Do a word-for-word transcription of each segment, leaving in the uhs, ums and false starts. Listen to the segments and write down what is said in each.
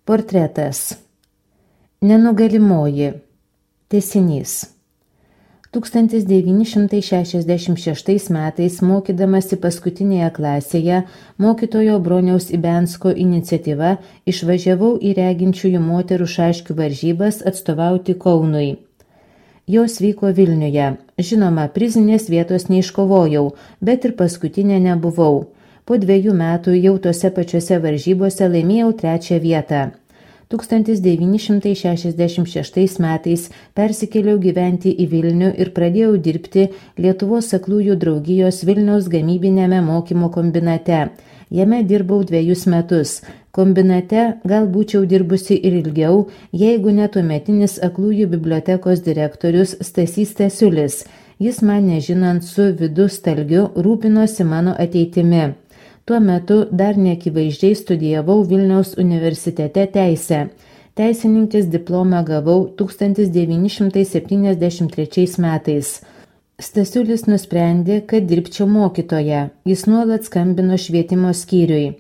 Portretas. Nenugalimoji. Tęsinys. tūkstantis devyni šimtai šešiasdešimt šeštais metais, mokydamasi paskutinėje klasėje, mokytojo Broniaus Ibensko iniciatyva išvažiavau į reginčiųjų moterų šaškių varžybas atstovauti Kaunui. Jos vyko Vilniuje. Žinoma, prizinės vietos neiškovojau, bet ir paskutinė nebuvau. Po dviejų metų jau tose pačiose varžybose laimėjau trečią vietą. tūkstantis devyni šimtai šešiasdešimt šeštais metais persikėliau gyventi į Vilnių ir pradėjau dirbti Lietuvos aklųjų draugijos Vilniaus gamybinėme mokymo kombinate. Jame dirbau dviejus metus. Kombinate gal būčiau dirbusi ir ilgiau, jeigu ne tuometinis aklųjų bibliotekos direktorius Stasys Stasiulis. Jis man nežinant su Vidu Stalgiu rūpinosi mano ateitimi. Tuo metu dar neakivaizdžiai studijavau Vilniaus universitete teisę. Teisininkės diplomą gavau tūkstantis devyni šimtai septyniasdešimt trečiais metais. Stasiulis nusprendė, kad dirbčiau mokytoja. Jis nuolat skambino švietimo skyriui.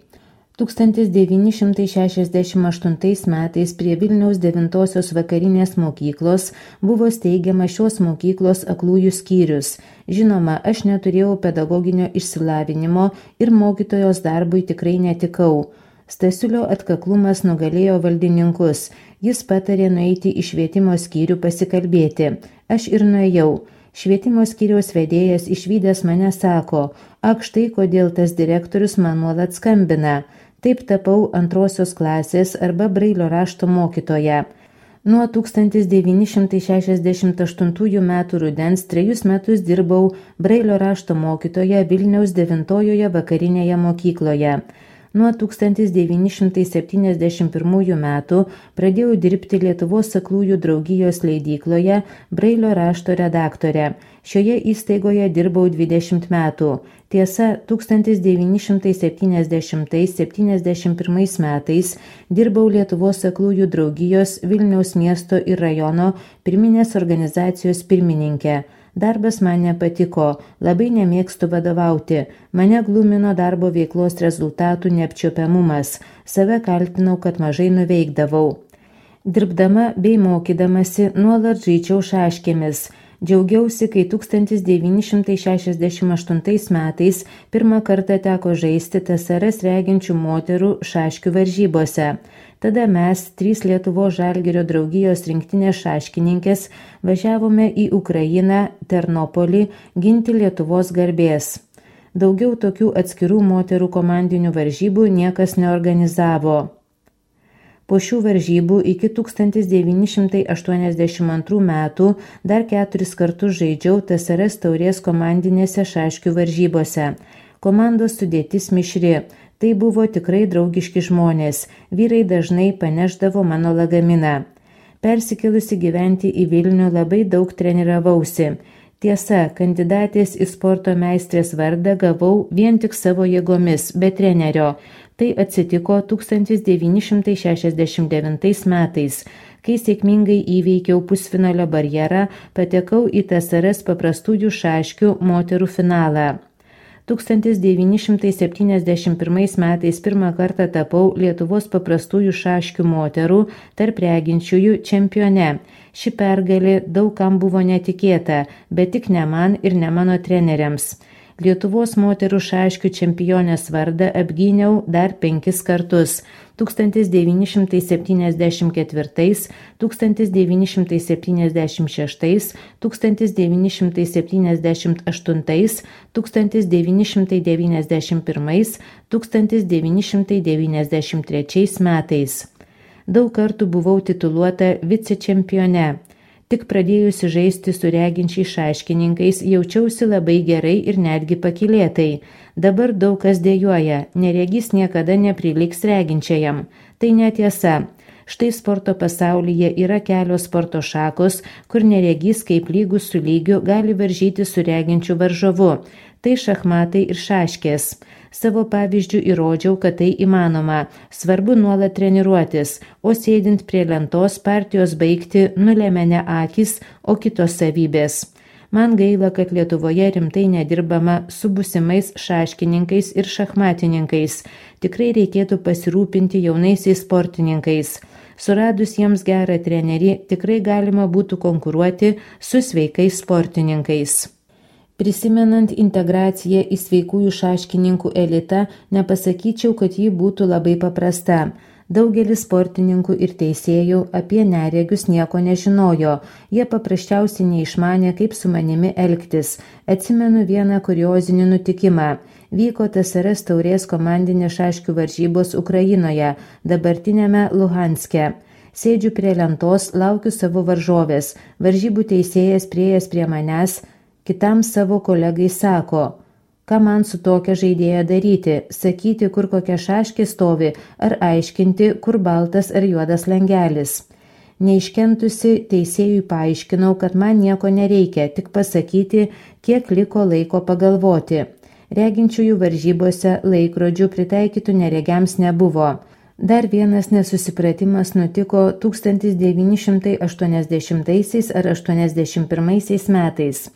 tūkstantis devyni šimtai šešiasdešimt aštuntais metais prie Vilniaus devintosios vakarinės mokyklos buvo steigiama šios mokyklos aklųjų skyrius. Žinoma, aš neturėjau pedagoginio išsilavinimo ir mokytojos darbui tikrai netikau. Stasiulio atkaklumas nugalėjo valdininkus. Jis patarė nueiti į švietimo skyrių pasikalbėti. Aš ir nuėjau. Švietimo skyriaus vedėjas išvydęs mane sako, ak štai kodėl tas direktorius man nuolat skambina. Taip tapau antrosios klasės arba Brailio rašto mokytoja. Nuo tūkstantis devyni šimtai šešiasdešimt aštuntųjų metų rudens trejus metus dirbau Brailio rašto mokytoja Vilniaus devintojoje vakarinėje mokykloje. Nuo tūkstantis devyni šimtai septyniasdešimt pirmųjų metų pradėjau dirbti Lietuvos aklųjų draugijos leidykloje Brailio rašto redaktore. Šioje įstaigoje dirbau dvidešimt metų. Tiesa, tūkstantis devyni šimtai septyniasdešimtais septyniasdešimt pirmais metais dirbau Lietuvos aklųjų draugijos Vilniaus miesto ir rajono pirminės organizacijos pirmininkė. Darbas man nepatiko, labai nemėgstu vadovauti, mane glumino darbo veiklos rezultatų neapčiuopiamumas, save kaltinau, kad mažai nuveikdavau. Dirbdama bei mokydamasi nuolat žaidžiau šaškėmis. Džiaugiausi, kai tūkstantis devyni šimtai šešiasdešimt aštuntais metais pirmą kartą teko žaisti T S R S reginčių moterų šaškių varžybose. Tada mes, trys Lietuvos Žalgirio draugijos rinktinės šaškininkės, važiavome į Ukrainą, Ternopolį, ginti Lietuvos garbės. Daugiau tokių atskirų moterų komandinių varžybų niekas neorganizavo. Po šių varžybų iki tūkstantis devyni šimtai aštuoniasdešimt antrų metų dar keturis kartus žaidžiau T S R S taurės komandinėse šaškių varžybose. Komandos sudėtis mišri. Tai buvo tikrai draugiški žmonės. Vyrai dažnai paneždavo mano lagaminą. Persikėlusi gyventi į Vilnių labai daug treniravausi. Tiesa, kandidatės į sporto meistrės vardą gavau vien tik savo jėgomis, be trenerio. Tai atsitiko tūkstantis devyni šimtai šešiasdešimt devintais metais, kai sėkmingai įveikiau pusfinalio barjerą, patekau į T S R S paprastųjų šaškių moterų finalą. tūkstantis devyni šimtai septyniasdešimt pirmais metais pirmą kartą tapau Lietuvos paprastųjų šaškių moterų tarp reginčiųjų čempione. Ši pergalė daug kam buvo netikėta, bet tik ne man ir ne mano treneriams. Lietuvos moterų šaškių čempionės vardą apgyniau dar penkis kartus – tūkstantis devyni šimtai septyniasdešimt ketvirtais, tūkstantis devyni šimtai septyniasdešimt šeštais, tūkstantis devyni šimtai septyniasdešimt aštuntais, tūkstantis devyni šimtai devyniasdešimt pirmais, tūkstantis devyni šimtai devyniasdešimt trečiais metais. Daug kartų buvau tituluota vicečempione. Tik pradėjusi žaisti su reginčiais šaškininkais jaučiausi labai gerai ir netgi pakylėtai. Dabar daug kas dejuoja, neregys niekada nepriliks reginčiajam. Tai netiesa. Štai sporto pasaulyje yra kelios sporto šakos, kur neregys kaip lygus su lygiu gali varžyti su reginčiu varžovu. Tai šachmatai ir šaškės. Savo pavyzdžių įrodžiau, kad tai įmanoma. Svarbu nuolat treniruotis, o sėdint prie lentos partijos baigti nulemia ne akys, o kitos savybės. Man gaila, kad Lietuvoje rimtai nedirbama su būsimais šaškininkais ir šachmatininkais. Tikrai reikėtų pasirūpinti jaunaisiais sportininkais. Suradus jiems gerą trenerį, tikrai galima būtų konkuruoti su sveikais sportininkais. Prisimenant integraciją į sveikųjų šaškininkų elitą, nepasakyčiau, kad ji būtų labai paprasta. Daugelis sportininkų ir teisėjų apie neregius nieko nežinojo, jie paprasčiausiai neišmanė, kaip su manimi elgtis. Atsimenu vieną kuriozinį nutikimą. Vyko T S R S taurės komandinės šaškių varžybos Ukrainoje, dabartinėme Luhanske. Sėdžiu prie lentos, laukiu savo varžovės. Varžybų teisėjas priėjęs prie manęs, kitam savo kolegai sako: ką man su tokia žaidėja daryti, sakyti, kur kokia šaškė stovi, ar aiškinti, kur baltas ar juodas langelis. Neiškentusi teisėjui paaiškinau, kad man nieko nereikia, tik pasakyti, kiek liko laiko pagalvoti. Reginčiųjų varžybose laikrodžių pritaikytų neregiams nebuvo. Dar vienas nesusipratimas nutiko tūkstantis devyni šimtai aštuoniasdešimtaisiais ar aštuoniasdešimt pirmaisiais metais.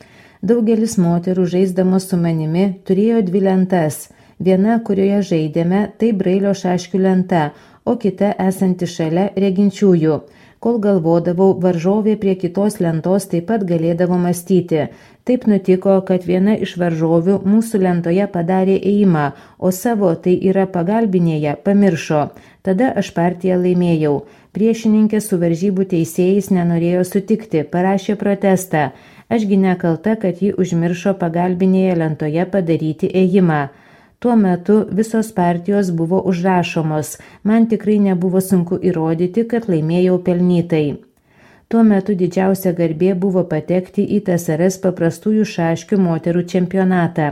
Daugelis moterų žaisdamos su manimi turėjo dvi lentas. Viena, kurioje žaidėme, tai Brailio šaškių lenta, o kita esanti šalia reginčiųjų. Kol galvodavau, varžovė prie kitos lentos taip pat galėdavo mąstyti. Taip nutiko, kad viena iš varžovių mūsų lentoje padarė ėjimą, o savo, tai yra pagalbinėje, pamiršo. Tada aš partiją laimėjau. Priešininkė su varžybų teisėjais nenorėjo sutikti, parašė protestą. Ašgi nekalta, kad ji užmiršo pagalbinėje lentoje padaryti ėjimą. Tuo metu visos partijos buvo užrašomos. Man tikrai nebuvo sunku įrodyti, kad laimėjau pelnytai. Tuo metu didžiausia garbė buvo patekti į T S R S paprastųjų šaškių moterų čempionatą.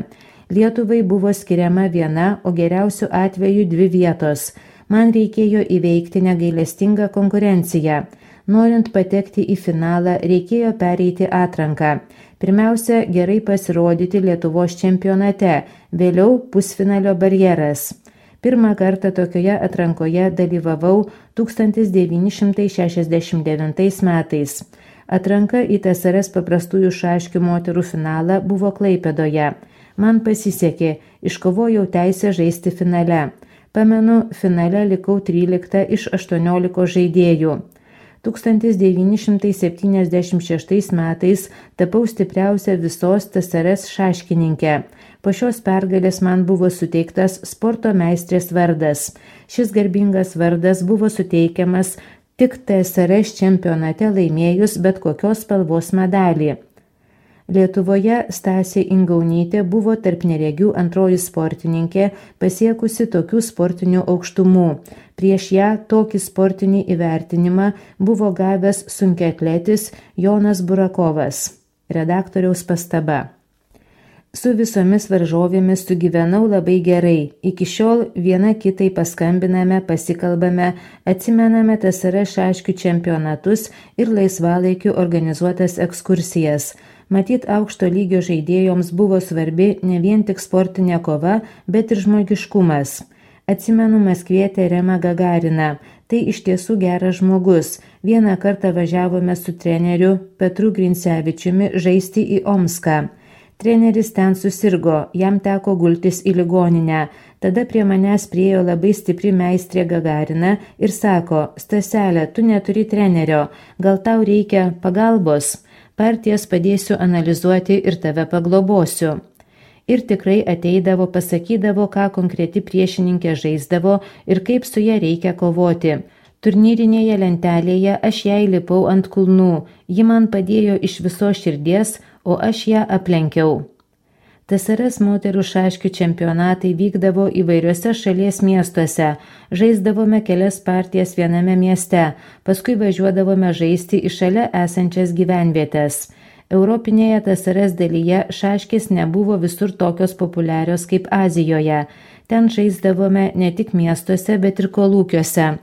Lietuvai buvo skiriama viena, o geriausiu atveju dvi vietos. Man reikėjo įveikti negailestingą konkurenciją. Norint patekti į finalą, reikėjo pereiti atranką. Pirmiausia, gerai pasirodyti Lietuvos čempionate, vėliau pusfinalio barjeras. Pirmą kartą tokioje atrankoje dalyvavau tūkstantis devyni šimtai šešiasdešimt devintais metais. Atranka į T S R S paprastųjų šaškių moterų finalą buvo Klaipėdoje. Man pasisekė, iškovojau teisę žaisti finale. Pamenu, finale likau trylikta iš aštuoniolikos žaidėjų. tūkstantis devyni šimtai septyniasdešimt šeštais metais tapau stipriausia visos T S R S šaškininkė. Po šios pergalės man buvo suteiktas sporto meistrės vardas. Šis garbingas vardas buvo suteikiamas tik T S R S čempionate laimėjus bet kokios spalvos medalį. Lietuvoje Stasė Ingaunytė buvo tarp neregių antroji sportininkė, pasiekusi tokių sportinių aukštumų. Prieš ją tokį sportinį įvertinimą buvo gavęs sunkiaatletis Jonas Burakovas. Redaktoriaus pastaba. Su visomis varžovėmis sugyvenau labai gerai. Iki šiol viena kitai paskambiname, pasikalbame, atsimename T S R S šaškių čempionatus ir laisvalaikiu organizuotas ekskursijas. Matyt, aukšto lygio žaidėjoms buvo svarbi ne vien tik sportinė kova, bet ir žmogiškumas. Atsimenu maskvietę Remą Gagariną. Tai iš tiesų geras žmogus. Vieną kartą važiavome su treneriu Petru Grincevičiumi žaisti į Omską. Treneris ten susirgo, jam teko gultis į ligoninę. Tada prie manęs priėjo labai stipri meistrė Gagarina ir sako: Staselė, tu neturi trenerio, gal tau reikia pagalbos? Partijas padėsiu analizuoti ir tave paglobosiu. Ir tikrai ateidavo, pasakydavo, ką konkreti priešininkė žaisdavo ir kaip su ja reikia kovoti. Turnyrinėje lentelėje aš jai lipau ant kulnų, ji man padėjo iš visos širdies, o aš ją aplenkiau. T S R S moterų šaškių čempionatai vykdavo įvairiuose šalies miestuose. Žaisdavome kelias partijas viename mieste, paskui važiuodavome žaisti į šalia esančias gyvenvietės. Europinėje T S R S dalyje šaškės nebuvo visur tokios populiarios kaip Azijoje. Ten žaisdavome ne tik miestuose, bet ir kolūkiuose.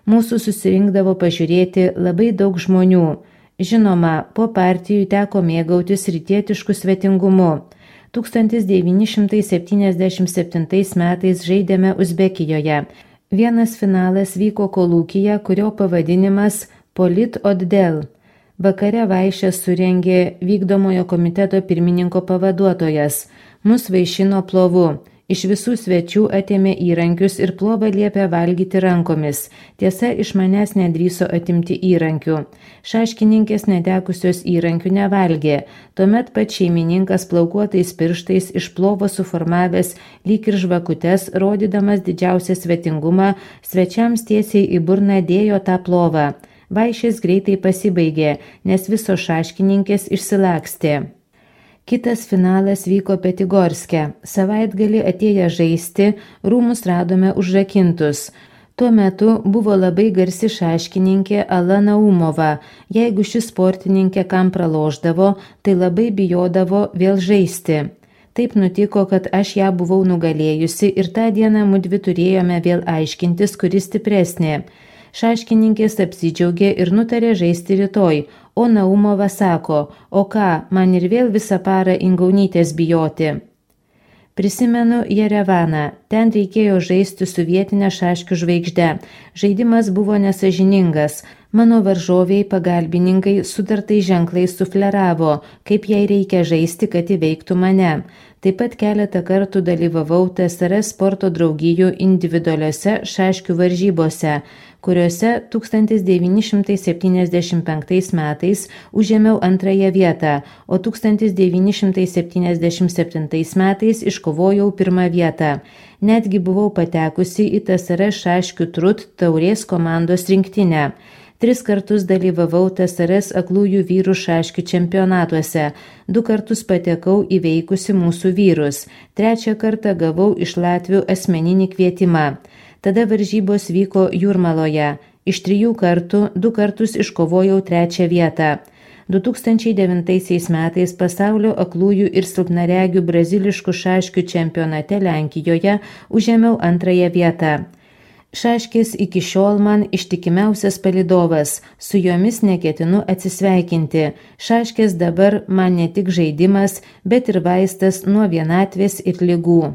Mūsų susirinkdavo pažiūrėti labai daug žmonių. Žinoma, po partijų teko mėgautis rytietišku svetingumu. tūkstantis devyni šimtai septyniasdešimt septintais metais žaidėme Uzbekijoje. Vienas finalas vyko kolūkyje, kurio pavadinimas Polit Oddel. Vakare vaišes surengė vykdomojo komiteto pirmininko pavaduotojas. Mus vaišino plovu. Iš visų svečių atėmė įrankius ir plovą liepė valgyti rankomis. Tiesa, iš manęs nedrįso atimti įrankių. Šaškininkės netekusios įrankių nevalgė. Tuomet pat šeimininkas plaukuotais pirštais iš plovo suformavęs lyg ir žvakutes, rodydamas didžiausią svetingumą, svečiams tiesiai į burną dėjo tą plovą. Vaišės greitai pasibaigė, nes visos šaškininkės išsilakstė. Kitas finalas vyko Petigorske. Savaitgalį atėję žaisti, rūmus radome užrakintus. Tuo metu buvo labai garsi šaškininkė Ala Naumova. Jeigu ši sportininkė kam pralošdavo, tai labai bijodavo vėl žaisti. Taip nutiko, kad aš ją buvau nugalėjusi ir tą dieną mudvi turėjome vėl aiškintis, kuri stipresnė. Šaškininkės apsidžiaugė ir nutarė žaisti rytoj, o Naumova sako, o ką, man ir vėl visą parą Ingaunytės bijoti. Prisimenu Jerevaną, ten reikėjo žaisti su vietinė šaškių žvaigžde. Žaidimas buvo nesažiningas. Mano varžoviai pagalbininkai sutartai ženklais sufleravo, kaip jai reikia žaisti, kad įveiktų mane. Taip pat keletą kartų dalyvavau T S R S sporto draugijų individualiuose šaškių varžybose, kuriuose tūkstantis devyni šimtai septyniasdešimt penktais metais užėmiau antrąją vietą, o tūkstantis devyni šimtai septyniasdešimt septintais metais iškovojau pirmą vietą. Netgi buvau patekusi į T S R S šaškių trut taurės komandos rinktinę. Tris kartus dalyvavau T S R S aklųjų vyrų šaškių čempionatuose, du kartus patekau įveikusi mūsų vyrus, trečią kartą gavau iš latvių asmeninį kvietimą. Tada varžybos vyko Jūrmaloje. Iš trijų kartų du kartus iškovojau trečią vietą. du tūkstančiai devintaisiais metais pasaulio aklųjų ir silpnaregių braziliškų šaškių čempionate Lenkijoje užėmiau antrąją vietą. Šaškės iki šiol man ištikimiausias palydovas, su jomis neketinu atsisveikinti. Šaškės dabar man ne tik žaidimas, bet ir vaistas nuo vienatvės ir ligų.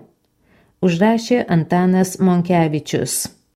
Užrašė Antanas Monkevičius.